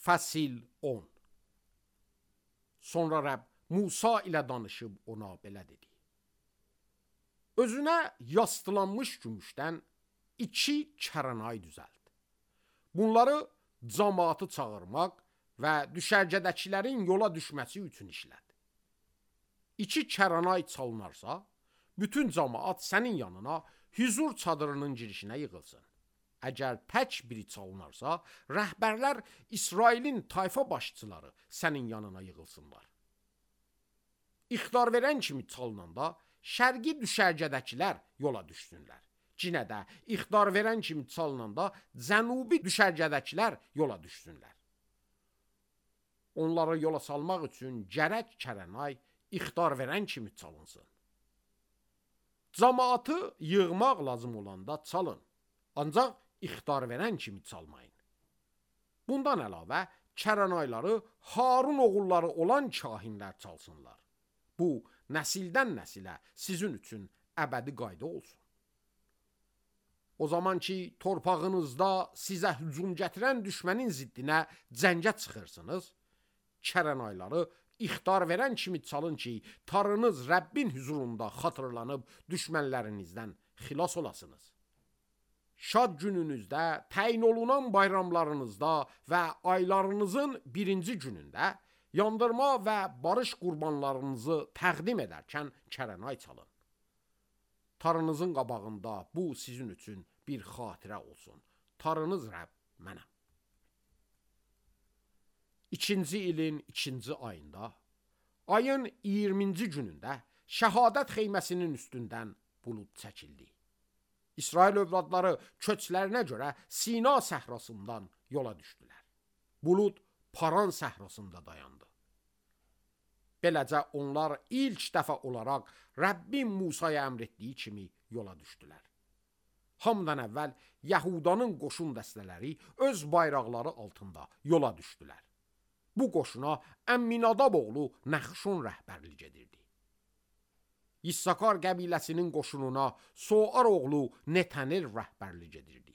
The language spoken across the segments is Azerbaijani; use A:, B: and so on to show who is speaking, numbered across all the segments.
A: Fəsil 10. Sonra Rəbb Musa ilə danışıb ona belə dedi. Özünə yastılanmış gümüşdən 2 çəranay düzəlt. Bunları cəmaatı çağırmaq və düşərgədəkilərin yola düşməsi üçün işləd. 2 çəranay çalınarsa, bütün cəmaat sənin yanına hüzur çadırının girişinə yığılsın. Əgər tək biri çalınarsa, rəhbərlər İsrailin tayfa başçıları sənin yanına yığılsınlar. İxtar verən kimi çalınanda, şərqi düşərgədəkilər yola düşsünlər. Cinə də ixtar verən kimi çalınanda, cənubi düşərgədəkilər yola düşsünlər. Onları yola salmaq üçün gərək çəranay ixtar verən kimi çalınsın. Cəmaatı yığmaq lazım olanda çalın, ancaq ixtar verən kimi çalmayın. Bundan əlavə, çəranayları Harun oğulları olan kahinlər çalsınlar. Bu, nəsildən nəsilə sizin üçün əbədi qayda olsun. O zaman ki, torpağınızda sizə hücum gətirən düşmənin ziddinə cəngə çıxırsınız, çəranayları ixtar verən kimi çalın ki, tarınız Rəbbin hüzurunda xatırlanıb düşmənlərinizdən xilas olasınız. Şad gününüzdə, təyin olunan bayramlarınızda və aylarınızın 1-ci günündə yandırma və barış qurbanlarınızı təqdim edərkən çəranay çalın. Tarınızın qabağında bu sizin üçün bir xatirə olsun. Tarınız Rəbb mənəm. 2-ci ilin 2-ci ayında, ayın 20-ci günündə şəhadət xeyməsinin üstündən bulud çəkildi. İsrail övladları köçlərinə görə Sina səhrasından yola düşdülər. Bulud Paran səhrasında dayandı. Beləcə onlar ilk dəfə olaraq Rəbbin Musaya əmr etdiyi kimi yola düşdülər. Hamıdan əvvəl Yahudanın qoşun dəstələri öz bayraqları altında yola düşdülər. Bu qoşuna Əmminadab oğlu Nəxşon rəhbərlik edirdi. İssakar qəbiləsinin qoşununa Soar oğlu Netənel rəhbərlik edirdi.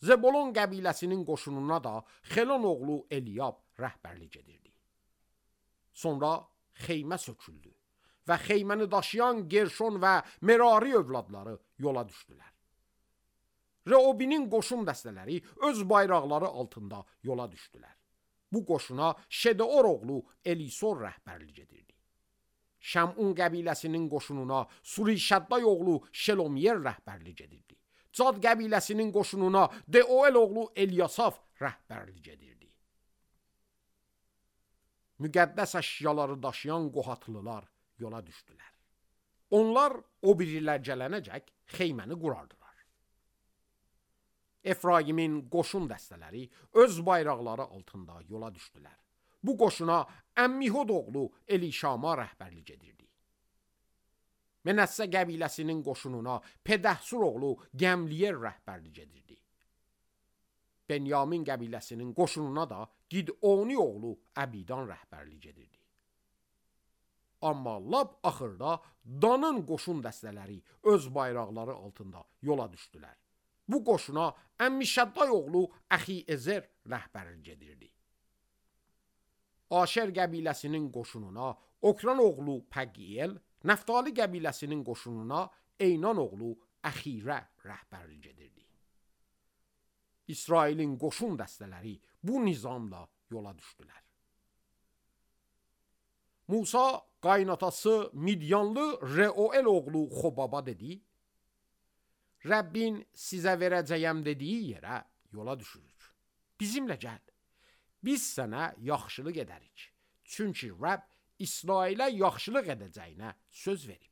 A: Zebolon qəbiləsinin qoşununa da Xelon oğlu Eliyab rəhbərlik edirdi. Sonra xeymə söküldü və xeyməni daşıyan Gerşon və Merari övladları yola düşdülər. Reobinin qoşun dəstələri öz bayraqları altında yola düşdülər. Bu qoşuna Şedeor oğlu Elisor rəhbərlik edirdi. Şəmun qəbiləsinin qoşununa Surişədday oğlu Şelomiyer rəhbərlik edirdi. Cad qəbiləsinin qoşununa Deoel oğlu Elyasaf rəhbərlik edirdi. Müqəddəs əşyaları daşıyan Qohatlılar yola düşdülər. Onlar o birilər gələnəcək xeyməni qurardılar. Efraimin qoşun dəstələri öz bayraqları altında yola düşdülər. Bu qoşuna Əmmihod oğlu Elişama rəhbərlik edirdi. Mənəssə qəbiləsinin qoşununa Pedəhsur oğlu Gəmliyer rəhbərlik edirdi. Benyamin qəbiləsinin qoşununa da Gidoni oğlu Əbidan rəhbərlik edirdi. Amma lap axırda Danın qoşun dəstələri öz bayraqları altında yola düşdülər. Bu qoşuna Əmmişədday oğlu Əxi-Ezer rəhbərlik edirdi. Aşer qəbiləsinin qoşununa Okran oğlu Pəqiyel, Nəftali qəbiləsinin qoşununa Eynan oğlu Əxirə rəhbərlik edirdi. İsrailin qoşun dəstələri bu nizamla yola düşdülər. Musa qaynatası Midyanlı Reuel oğlu Xobaba dedi, Rəbbin sizə verəcəyəm dediyi yerə yola düşürük. Bizimlə gəl. Biz sənə yaxşılıq edərik. Çünki Rəbb İsrailə yaxşılıq edəcəyinə söz verib.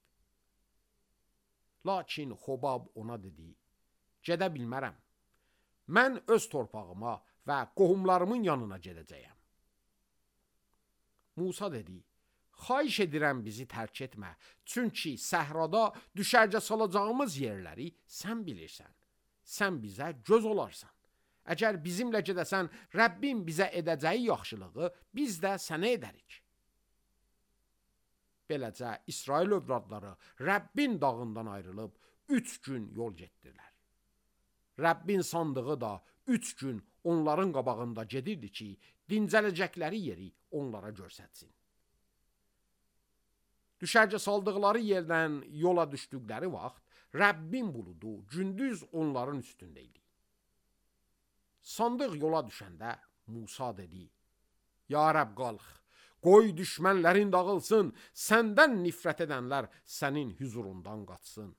A: Lakin Xobab ona dedi, gedə bilmərəm. Mən öz torpağıma və qohumlarımın yanına gedəcəyəm. Musa dedi, xahiş edirəm bizi tərk etmə, çünki səhrada düşərgə salacağımız yerləri sən bilirsən. Sən bizə göz olarsan. Əgər bizimlə gedəsən, Rəbbin bizə edəcəyi yaxşılığı biz də sənə edərik. Beləcə İsrail övladları Rəbbin dağından ayrılıb 3 gün yol getdilər. Rəbbin sandığı da 3 gün onların qabağında gedirdi ki, dincələcəkləri yeri onlara göstərsin. Düşərgə saldıqları yerdən yola düşdükləri vaxt Rəbbin buludu gündüz onların üstündə idi. Sandıq yola düşəndə Musa dedi: Ya Rəbb qalx, qoy düşmənlərin dağılsın, səndən nifrət edənlər sənin huzurundan qaçsın.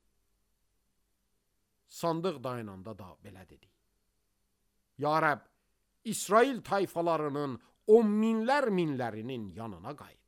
A: Sandıq dayananda da belə dedi: Ya Rəbb, İsrail tayfalarının 10 minlərinin yanına qayıt.